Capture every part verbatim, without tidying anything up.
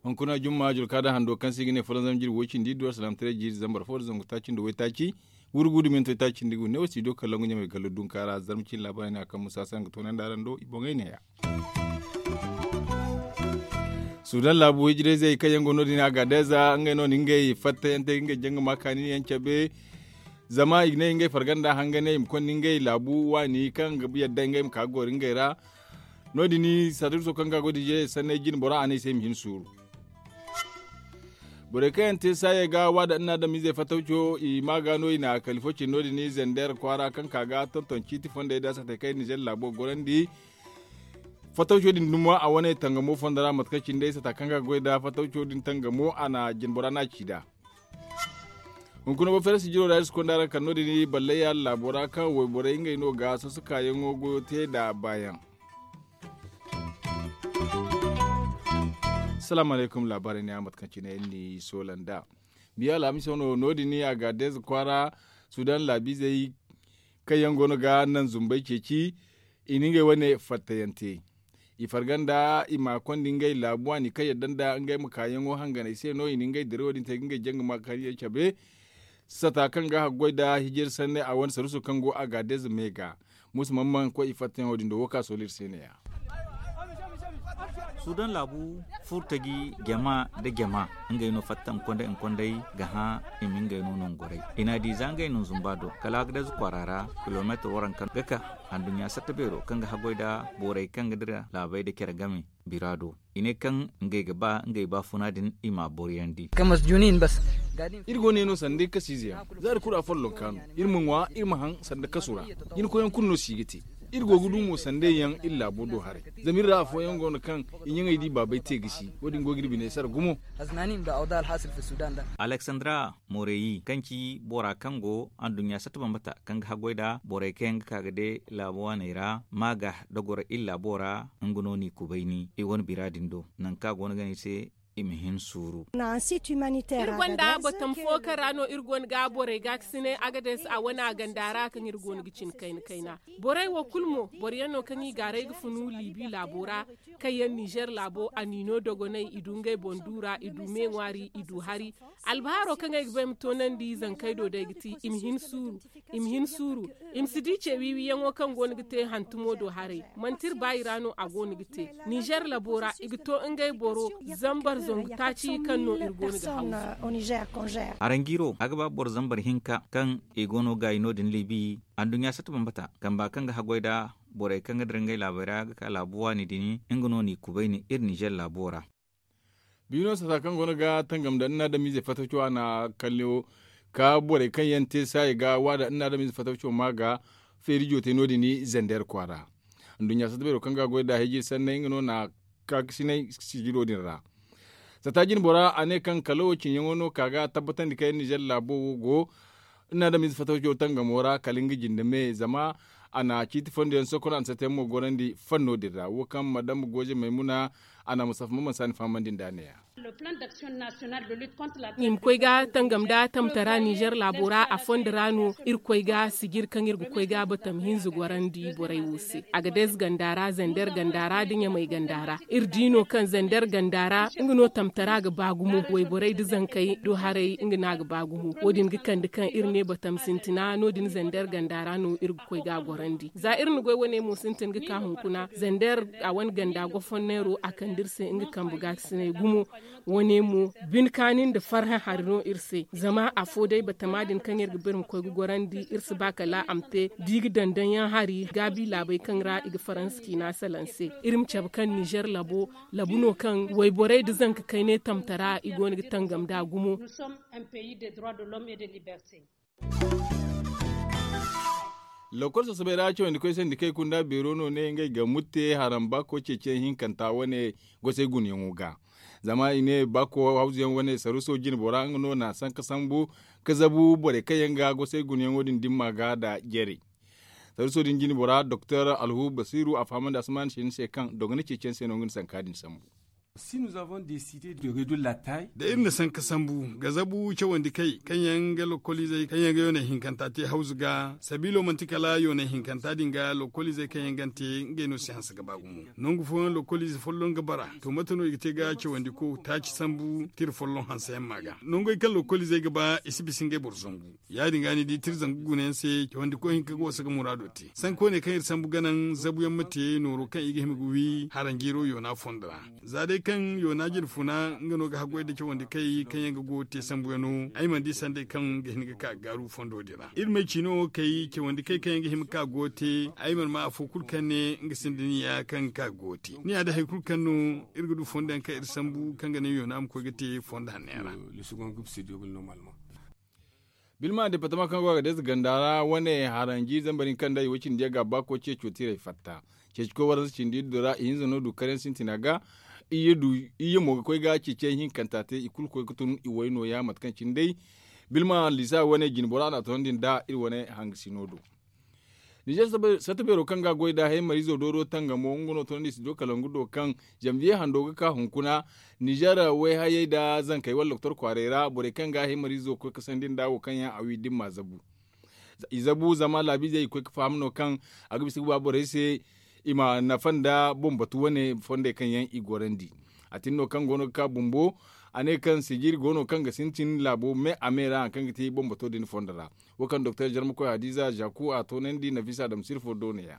Hunkuna jumma julka da hando kaŋ se i ga ne folonzam jirbi way cindi iddu alsalaam taray jiiri zambar fo da zangu taaci nda waytaaci. Wurgu da minto taaci nda gu ne wo studio kaŋ langu ɲamay gallo dunka ra zarma cine laabaarey ne a kaŋ musa se a ga toonandi araŋ do i boŋey neeya. Sudan laabu hijirayzey kaŋ yaŋ go no- din a ga deeza ngey no na ngey fattayante ngey janga ma kaani yaŋ cabe. Zama i ga ne ngey farganda hanganey i ma konda ngey laabu waani kaŋ ga yadda ngey ma ka ga goro ngey ra. No- din sadiiso kaŋ ga go da ize sanney jine bora a ne i se i ma hin suuru. Borey kaŋ yaŋ te saayey ga waada nda adamizey fatawco i ma ga no i na kali fo cine no- din zandeer kwaara kaŋ ka ga tonton ciiti fondey da satey kaŋ i nizer laabo ga gorandi. Fatawco din dumo a wane tangamo fondo ra mate kaŋ cine day sata kaŋ ga goy da fatawco din tangamo a na jinbora no a ci nd'a. Hunkuna boro fere sijiro ra iri si konda araŋ kala no- din ballay yaala laabo ra kaŋ wayborey ngey no ga soso kaayaŋo goyo te nd'a baayaŋ. Salaamu alaykum laabaarey ne a mate kaŋ cine iri n'i soola nd'a. Biya alhamiso no no- din a ga deeza kwaara sudan laabiizey kaŋ yaŋ go no ga naŋ zumbey ceeci. I na ngey wane fattayaŋ te i farga nda i ma konda ngey laabu waani kaŋ yadda nda ngey ma kaayaŋo hanganey se no i na ngey dirawo din te ga ngey janga ma kaani yaŋ cabe. Sata kaŋ ga haggoy nda hijir sanney a wane saruuso kaŋ go a ga deeza me ga. Musa mamman koy i fattayaŋo din do wo ka sooli iri se ne- ya. Suudaŋ laabu furtaji jama nda jama ngey no fatta nkonday nkonday ga hã i ma ngey no nongoray i n'a di za ngey no zumba do kala agades kwaara ra kilomeetir waranka ga ka. Anduɲɲa satta beero kaŋ ga haggoy nda borey kaŋ ga dira laabey nda care game bira do i ne kaŋ ngey ga ba ngey baafuna din i m'a boriyandi. Iri go ne no sanda iri kasiize yaŋ za iri kulu afolloŋ kaanu iri ma ŋwa iri ma haŋ sanda kasu ra. Jinkoyyaŋ kulu no si ga te. Iri go ga du mo sanda yaŋ iri laabo do haray. Zama iri ra afooyaŋ go no kaŋ i ɲaŋey di baabey te gisi wo- din go ga iri bine sara gumo. Aleksandra moreyi kaŋ ci bora kaŋ go anduɲɲa satta bambata kaŋ ga haggoy nda borey kaŋ yaŋ ga ka ga de laabo waaney ra ma ga dogoro iri laabo ra. Nga no n'i kubayni i wane bira din do nangu kaŋ a go no ga ne i se i ma hin suuru. Iri gonda batam fo kaŋ ra no iri go no ga borey gaakasinay agades a wane a ganda ra kaŋ iri go no ga cin kayna kayna. Borey wo kulu mo boro yaŋ no kaŋ i gaaray ga funu liibi laabo ra kaŋ yaŋ nizer laabo a niino dogonay i du ngey boŋ du ra i du me ŋwaari i du hari. Albahaaro kaŋ ay ga ba ay ma toonandi zankey do day ga ti i ma hin suuru. I ma si di ce wiiwiyaŋo kaŋ go no ga te hantumo do haray manti iri baayi ra no a go no ga te. Nizer labo ra i ga to ngey boro zambar zangu taaci kaŋ no iri go no ga haw. Aranjiro a ga ba boro zambar hinka kaŋ i go no ga i no- din libi anduɲɲa satta bambata kamba kaŋ ga haggoy nda borey kaŋ ga dira ngey laabey ra ga ka laabu waani din nga no n'i kubayni iri nizer laabo ra. Biino sata kaŋ go no ga tangam nda nna adamize fataco a na kallo ka borey kaŋ yaŋ te saaya ga waada nna adamize fataco ma ga feeri jootay no- din zandeer kwaara. Nduɲɲa sata beero kaŋ ga goy nda hijir sanney nga no na kaakasinay sijiro din ra. Sata jine bora a ne kaŋ kala wo cinyaŋo no ka ga tabbatandi kaŋ yaŋ nizer laabo wo go nna adamize fataco tangamo ra kala nga jinde me zama a na ciiti fondo yaŋ sokon a na sata yaŋ mo gorandi fanno din ra wo kaŋ madam goze maymuna a na musafa maman saani fahamandi nd'a ne- ya. I ma koy ga tangam nda tamtara nizer laabo ra a fondo ra no iri koy ga sijir kaŋ iri ga koy ga batam hinza gorandi borey wo se a ga deeza ganda ra zander ganda ra nda ɲamay ganda ra. Iri di no kaŋ zander ganda ra nga no tamtara ga ba gumo wayborey nda zankey do haray nga no a ga ba gumo wo- din ga kande kaŋ iri ne batam sintina no- din zander ganda ra no iri ga koy ga a gorandi za iri na goy wane mo sintin ga ka hunkuna zander a wane ganda gofonneero a kande iri se nga kambe gaakasinay gumo. Wane mo bine kaani nda farhã hari no iri se zama afo day batama din kaŋ iri ga ba iri ma koy ga gorandi iri si ba kala a ma te da i ga dandaŋ yaŋ hari gaabi laabey kaŋ ra i ga faransa ciina salaŋ se. Iri ma cabe kaŋ nizer labo labu no kaŋ wayborey nda zanka kayney tamtara i go no ga tangam nd'a gumo. Lokol sasabay ra cawandi koy sandi kay kunda beero no ne ngey ga mutte haram baako ceeciyaŋ hinkanta wane gosay gunayaŋo ga. Zama i ne baako hawzuyaŋ wane saruso jine bora nga no na sanka sambu ka zabu borey kaŋ yaŋ ga gosay gunayaŋo din dimma ga nda jere. Saruso din jine bora doktor alhu basiru a fahamandi asman shin se kaŋ dogona ceeciyaŋ se no nga na sanka din sambu. Da iri na sanka sambu ga zabu cawandi kay kaŋ yaŋ ga lokoliizey kaŋ yaŋ ga yoonay hinkanta te hawzu ga sabiilo manti kala yoonay hinkanta din ga lokoliizey kaŋ yaŋ gante ngey no si hanse ga ba gumo. Nangu fooyaŋ lokoliize folloŋ ga bara to mate no i ga te ga cawandi ko taaci sambu tira folloŋ hanse yaŋ ma ga nangey kaŋ lokoliizey ga ba i si bisa ngey boro zangu. Ya- din ga ni di tira zangu guna yaŋ se cawandi koy hinka ga wasa ga muraado te sanka wane kaŋ iri sambu ga naŋ zabu yaŋ ma te nooro kaŋ i ga hima ga wi haranjiiro yoona fondo ra. Za day kaŋ yoona jirfuna nga no ga haggoy nda cawandi kay kaŋ yaŋ ga go ga te sambu yaŋo ay mana di sanday kaŋ ga hin ga ka ga gaaru fondo din ra iri ma ay ciino wo kay cawandi kay kaŋ yaŋ ga hima ga ka go ga te. Ay mana ma afo kulu kaŋ ne nga sinda niya kaŋ ga ka ga go ga te ni ya day hari kulu kaŋ no iri ga du fondo yaŋ kaŋ iri sambu kaŋ ga naŋ yoona ma koy ga te fondo hanno yaŋ ra. Bilma departama kaŋ go a ga deeza ganda ra wane haranji zambar hinka nda i way cindi yaŋ ga a ba koy ceeco tiirey fatta. Ceeci koy waransa cindi iddu ra ihinza no du karyaŋ sintina ga. Iyye mo ga koy ga ceeciyaŋ hinkanta te i kulu ga koy ga tun i way nooya mate kaŋ cine day. Bilma lisa wane jinbora no a toonandi nda iri wane hangasino do. Ninzeer satta beero kaŋ ga a goy nda haymariizo dooro tangamo nga no toonandi studio kalangu do kaŋ zanviye hando ga ka hunkuna. Ninzeer wayhayey nda zankey wala doktor kwaaray ra borey kaŋ ga haymariizo koy ga sandi nda wo kaŋ yaŋ a wi da ni ma zabu. I zabu zama laabiizey i koy ga faham no kaŋ a ga bisa ga ba borey se i ma nafa nda boŋ batu wane fondey kaŋ yaŋ i gorandi. A tin no kaŋ go no ga ka bumbo a ne kaŋ sijiri go no kaŋ ga sintin laabo me a me ra hari kaŋ ga te boŋ bato din fondo ra. Wo kaŋ doktor jarmakoy hadiza zaku a toonandi nafisa adama sirfo do ne ya.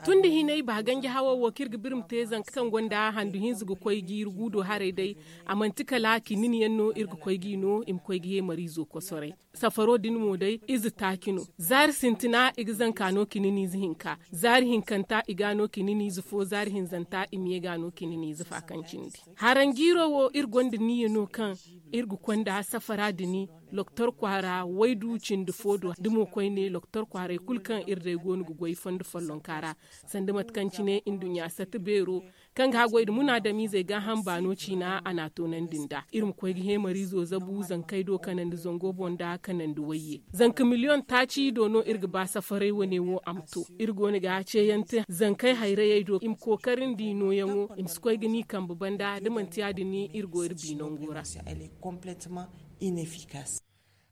Tun da hinay ba ganji hawo wo kaŋ iri ga birma te zanka kaŋ gonda handu hinza ga koy ga iri guudo haray day. A manti kala kinin yaŋ no iri ga koy ga i no i ma koy ga heemariizo kosoray. Safaro din mo day ize taaci no. Zaari sintina i ga zanka no kinin ize hinka. Zaari hinkanta i ga no kinin ize fo zaari hinzanta i ma ye ga no kinin ize fa kaŋ cindi. Haranjiiro wo iri gonda niyya no kaŋ iri ga konda safara din. Loktor kwaara waydu cindi fo do da mo koyne loktor kwaaray kulu kaŋ iri day go no ga goy fondo follonka ra. Sanda mate kaŋ cine nduɲɲa satta beero kaŋ ga haggoy nda munaadamiizey gaaham baano ciina a n'a toonandi nd'a iri ma koy ga heemariizo zabu zankey do kanandi zango boŋ nda kanandi wayye. Zanka miliyoŋ taaci do no iri ga ba safaray wane wo a ma to. Iri go no ga ceeyante zankey hayrayey do i ma kookarandi nooyaŋo i ma si koy ga ni kambe banda da manti ya- din iri go iri bi nango ra.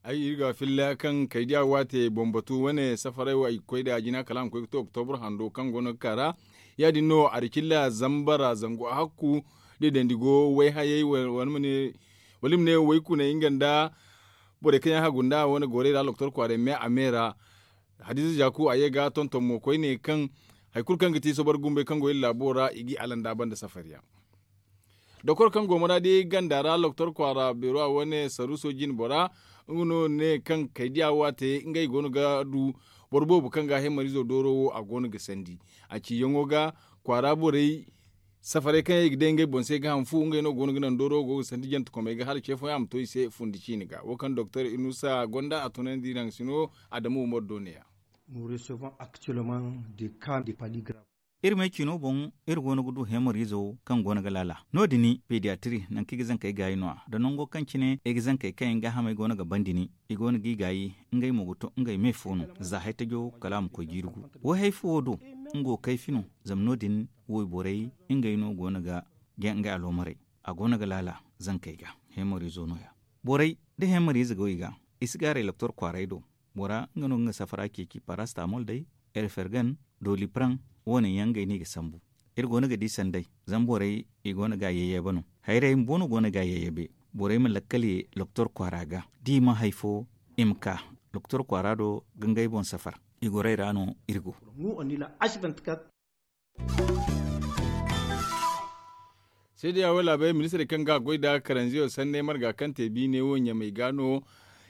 Ay iri ga filla kaŋ kaydiya waate boŋ batu wane safaray wo ay ga koy da jina kala a ma koy ga to oktobur hando kaŋ go no ga ka ra. Ya- din no a da cilla zambara zangu hakku da i dandi go wayhayey wala i ma ne waykuney nga nda borey kaŋ yaŋ hagu nda wane gorey ra loktor kwaaray me a me ra. Hadiza zaku a ye ga tonton mo koyne kaŋ hari kulu kaŋ ga ti sobar gumbey kaŋ go iri laabo ra i g'i alanda banda safariyaŋ. Dokor kaŋ go maraadi ganda ra loktor kwaara beero a wane saruuso jine bora nga no ne kaŋ kaydiya waate ngey go no ga du boro boobo kaŋ ga heemariizo dooro wo a go no ga sandi a ciyaŋo ga kwaara borey safaray kaŋ yaŋ i ga day ngey boŋ se ga hanfu ngey no go no ga naŋ dooro wo go ga sandi jantekomey ga hala ce fooyaŋ a ma to i se fundi ciine ga wo kaŋ doktor inusa gonda a tunandi naŋ sino adamu umar do ne ya. Iri me ciino boŋ iri go no ga du heemariizo kaŋ go no ga laala no- din pediyatiri nangu kaŋ i ga zankey gaayi no- ya da nango kaŋ cine ay ga zankey kaŋ yaŋ gaahamey go no ga ban din i go no g'i gaayi ngey mo ga to ngey me fo no za hay tajo kala a ma koy jiiri gu. Wayhay fo wo do nga wo kayfi no zama no- din wayborey ngey no go no ga ga ngey aloomarey a go no ga laala zankey ga. Heemariizo no- ya borey da heemariize go i ga i si gaaray loktor kwaaray do. Bora nga no ga nga safara ceeci parastamol day erfergan dolipran wo- ne yaŋ ngey no i ga sambu. Iri go no ga di sanday zama borey i go no ga a yayyabe no. Hayrey bumbo no go no ga a yayyabe borey ma lakkal ye loktor kwaara ga da i ma hay fo i ma ka loktor kwaara do ga ngey boŋ safar. I gorey ra no iri go. Seedeya wo laabey ministirey kaŋ ga a goy nda karanziyo sanney marga kaŋ te biine wo ɲamey ga no.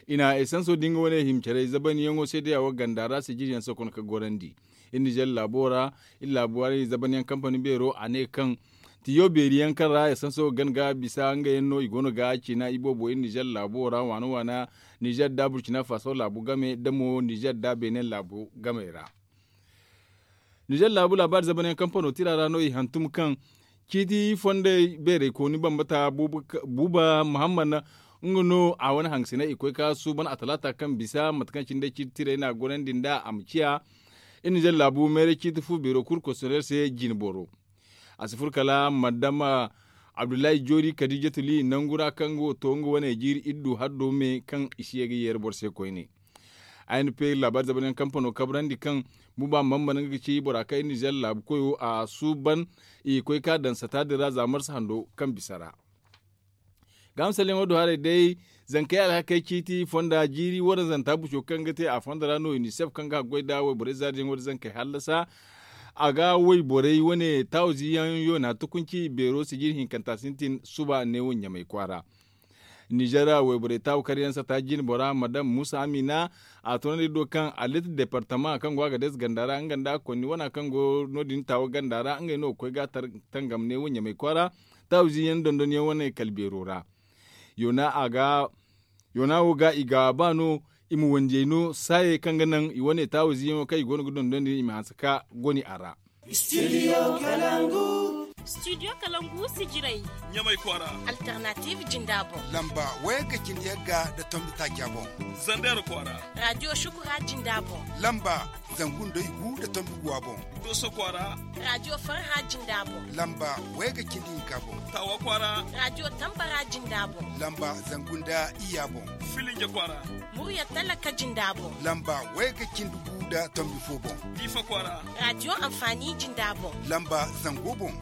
I na esanso da nga wane hima care zabanyaŋo seedeya wo ganda ra sijiriyaŋ sokon ka gorandi. Iri nizer laabo ra iri laabu waray zabanyaŋ kampani beero a ne kaŋ tiyo beeri yaŋ kaŋ ra esanso ga gana ga bisa nga yaŋ no i go no ga ciina iboobo iri nizer laabo ra waana waana nizer da burcina faso laabu game da mo nizer da benin laabu gamey ra. Nizer laabu laabaari zamanyaŋ kampano tira ra no i hantum kaŋ ciiti fondey beerey kooni bambata buuba muhammad nga no a wane hangasinay i koy ka suuban a talaata kaŋ bisa mate kaŋ cine day ciiti tirey no a gorandi nd'a a ma ciya. Iri nizer laabu meeray ciiti fu beero kulu kosondeer se jine boro. A si furo kala madama abdullahi joori kadijatu li nangu ra kaŋ go to nga wane jiiri iddu haddo me kaŋ i si ye ga yeera boro se koyne. A n p laabaari zabayaŋ kampano kabrandi kaŋ buba mamba nga ga ci bora kaŋ iri nizer laabu koyo a suuban i koy ka daŋ sata din ra za marsa hando kaŋ bisa ra. Ga misalyaŋo du haray day zankey alhakey ciiti fonda jiiri wane zanta buco kaŋ ga te a fonda ra no unicef kaŋ ga haggoy nda wayborey zaariyaŋo da zankey hallasa. A ga wayborey wane taawaziyaŋ yoona tukunci beero sijiri hinkanta sintin suba neewo ɲamay kwaara. Nizer wayborey taawa karyaŋ sata jine bora madam musa amina a toonandi do kaŋ alit departama kaŋ go a ga dees ganda ra nga nda konni wana kaŋ go no- din taawa ganda ra ngey no ga koy ga tangam neewo ɲamay kwaara. Taawaziyaŋ dondonyaŋ wane kala beero ra. Yoona wo ga i ga ba no i ma wandiyey no saayey kaŋ ga naŋ i wane taawaziyaŋo kaŋ i go no ga dondon din i ma hanse ka goni a ra. Studio kalangu sijirey ɲamay kwaara. Alternative jinda boŋ. Lamba wayagga cindi yagga nda tombi taaca boŋ. Zander kwaara. Radio shukura jinda boŋ. Lamba zangu nda igu nda tombi guwa boŋ. Doso kwaara. Radio farha jinda boŋ. Lamba wayagga cindi hinka boŋ. Tawa kwaara. Radio tambara jinda boŋ. Lamba zangu nda iyya boŋ. Filinje kwaara. Murya talaka jinda boŋ. Lamba wayagga cindi gu nda tombi fo boŋ. Diifa kwaara. Radio amfani jinda boŋ. Lamba zango boŋ.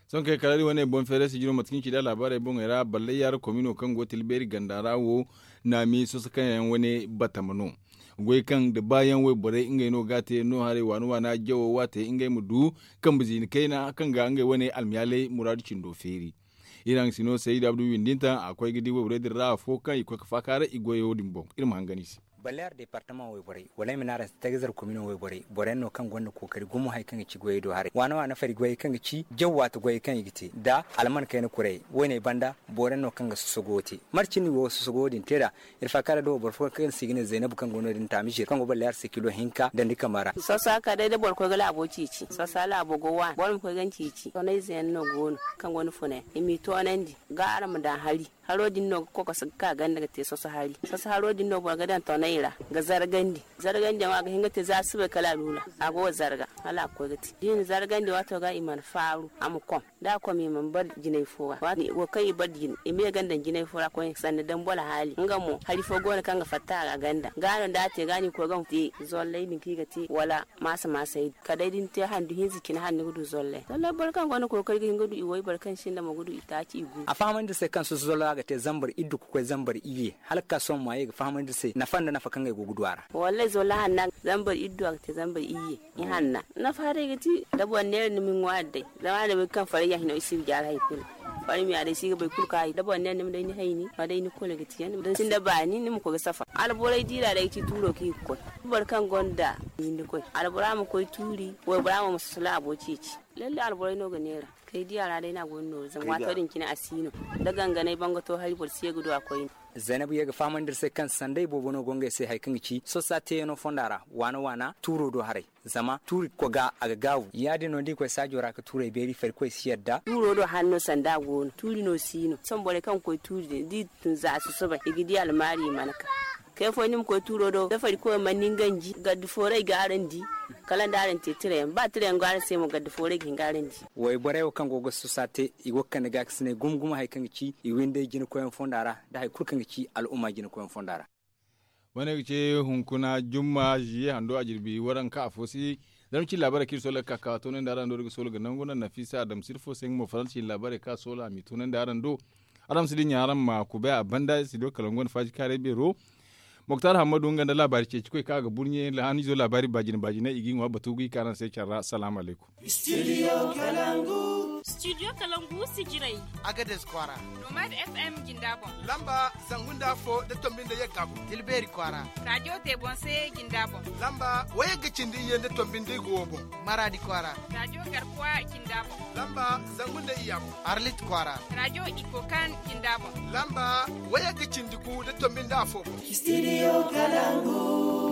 Sohõ kay kala iri wane boŋ feeray sijiro mate kaŋ i ci nd'a laabaarey boŋey ra ballayyaara komino kaŋ go tilbeeri ganda ra wo. Naami soso kaŋ yaŋ wane batama no goy kaŋ nda baayaŋ wayborey ngey no ga a te no haray waana waana jawo waate ngey ma du kambe ziina kayna kaŋ ga ngey wane almiyaaley muraadu cindo feeri. Iri haŋ si no sayid abdu windinta a koy ga di wayborey din ra afo kaŋ i koy ga faaka ra i goyo din boŋ iri ma hangan i se. Ballayar departama wayborey wala ay ma ne araŋ se tagazar komino wayborey boro yaŋ no kaŋ gonda kookari gumo hari kaŋ ga ci goyey do haray waana waana fari goyey kaŋ ga ci jaw waati goyey kaŋ i ga te nda alman kayna kurey. Woyne banda boro yaŋ no kaŋ ga sosogo te mate cine i go ga sosogo din te nd'a. Iri faaka ra da wo boro fo kaŋ se i ga ne zaynabu kaŋ go no- din taamizir kaŋ go ballayar se kilo hinka dandi kama ra. Sosa kala day da boro koy ga laabo ciici sosa laabo go waani boro ma koy ga ni ciici tonayze yaŋ no go no kaŋ gonda funa yaŋ i m'i toonandi ga araŋ ma daŋ hari. Haro din no ga kokoso ga ka ganda ga te soso hari soso haro din no boro ga daŋ tonay ra ga zargandi. Zargandiyaŋo a ga hin ga te za subay kala a lula a go ga zarga hala a ga koy ga te da i na zargandi waato ga i mana faaru a ma kom da a kom i mana bar jinay fo ra waati wo kaŋ i bar jine i ma ye ganda nda jinay fo ra koyne sanda dambu alhaali nga mo hari fo go no kaŋ ga fatta a ra ganda ga no da a te ga no i koy ga te zollay din kaŋ i ga te wala maasa maasay din kala day da ni te handu hinza cine hala ni ga du zollay zollay boro kaŋ gonda kookari ga hin ga du i way boro kaŋ sinda mo ga du i taaci i gu. A fahamandi iri se kaŋ soso zollay a ga te zambar iddu ga koy zambar iyye hala ga ka sohõ ma ye ga fahamandi iri se nafa nda nafa kaŋ ay go ga du a ra. Wallay zollay hanna zambar iddu a ga te zambar iyye i hanna nafa haray ga ti da boro neera ni ma ni ŋwaari day zama a ne bay kaŋ farayya hino i si ga jaari hari kulu. Farmiya day si ga bay kulu kaŋ a yi da boro neera ni ma day ni hayni ma day ni kulu ga ti yaŋ da ni sinda baani ni ma koy ga safar alborey diira day ga ti tuuro kaŋ i ga koy boro kaŋ gonda hinda koy albora ma koy tuuri waybora mo ma soso laabo ceeci. Lalle alborey no ga neera kay diya ra day no a go ni nooru zama waato din cine a si no da ganganay bangato hari boro si ye ga du a koyne. Zaynabu ye ga fahamandi iri se kaŋ sanday boobo no go ngey se hari kaŋ ga ci sosa teeyano fonda ra waana waana tuuro do haray zama tuuri koga a ga gaabu ya- din no da i koy saajo ra ga tuurey beeri farikoy si yadda. Tuuro do hanno sanda a go no tuuri no si no sohõ borey kaŋ ga koy tuuri din da i tun za a susubay i ga di almaari i mana ka. Kay fooyaŋ ni ma koy tuuro do da farikoy mana ni ganji gaddi fooray ga araŋ di. Kala nda araŋ te tirayaŋ ba tirayaŋ go araŋ se mo gaddi fooray ga hin ga araŋ di. Wayborey wo kaŋ go ga sosa te i go ga kande gaakasinay gumo gumo hari kaŋ ga ci i windey jinakoyaŋ fonda ra nda hari kulu kaŋ ga ci al'umma jinakoyaŋ fonda ra. Wane ga ce hunkuna jumma ziye hando a jirbi waranka afo si. Zama ci laabaarey kaŋ iri soola ga ka ka toonandi araŋ do da ga soola ga nangu naŋ nafisa adamsir fo se nga mo faransa ci laabaarey kaŋ a soola a m'i toonandi araŋ do. Araŋ ma si dinya araŋ ma kubay a banda iri si do kala nga wane faaji kaaray beero. Moktar hammadu nga nda laabaari ceeci koy kaŋ a ga burɲe lahan izo laabaari baajine baajine i g'i ŋwa batu ga i ka araŋ se care ra salaamu alaykum. Studio kalangu. Studio kalangu sijirey. Agades kwaara. Nomad fm jinda boŋ. Lamba zangu nda afo nda tombi nda yagga boŋ tilbeeri kwaara. Radio tebonse jinda boŋ. Lamba wayagga cindi iyye nda tombi nda igo wo boŋ. Maradi kwaara. Radio garkuwa jinda boŋ. Lamba zangu nda iyya boŋ arlit kwaara. Radio ikokan jinda boŋ. Lamba wayagga cindi gu nda tombi nda afo boŋ. Studio kalangu.